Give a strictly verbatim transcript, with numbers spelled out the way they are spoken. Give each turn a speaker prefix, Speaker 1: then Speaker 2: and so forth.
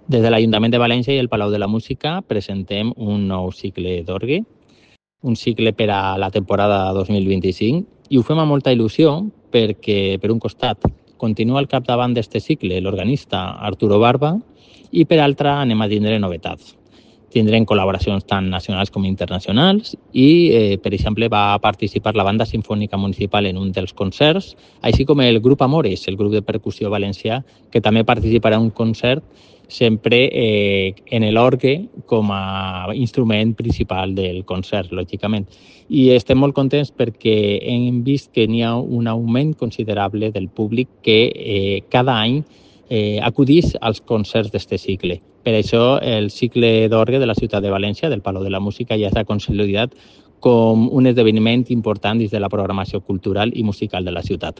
Speaker 1: Des de l'Ajuntament de València i el Palau de la Música presentem un nou cicle d'orgue, un cicle per a la temporada dos mil vint-i-cinc, i ho fem amb molta il·lusió perquè, per un costat, continua al capdavant d'aquest cicle l'organista Arturo Barba i, per altra, anem a tindre novetats. Tindrem col·laboracions tant nacionals com internacionals i, eh, per exemple, va participar la Banda Simfònica Municipal en un dels concerts, així com el grup Amores, el grup de percussió valencià, que també participarà en un concert sempre eh, en l'orgue com a instrument principal del concert, lògicament. I estem molt contents perquè hem vist que n'hi ha un augment considerable del públic que eh, cada any eh, acudís als concerts d'aquest cicle. Per això el cicle d'orgue de la ciutat de València, del Palau de la Música, ja s'ha consolidat com un esdeveniment important dins de la programació cultural i musical de la ciutat.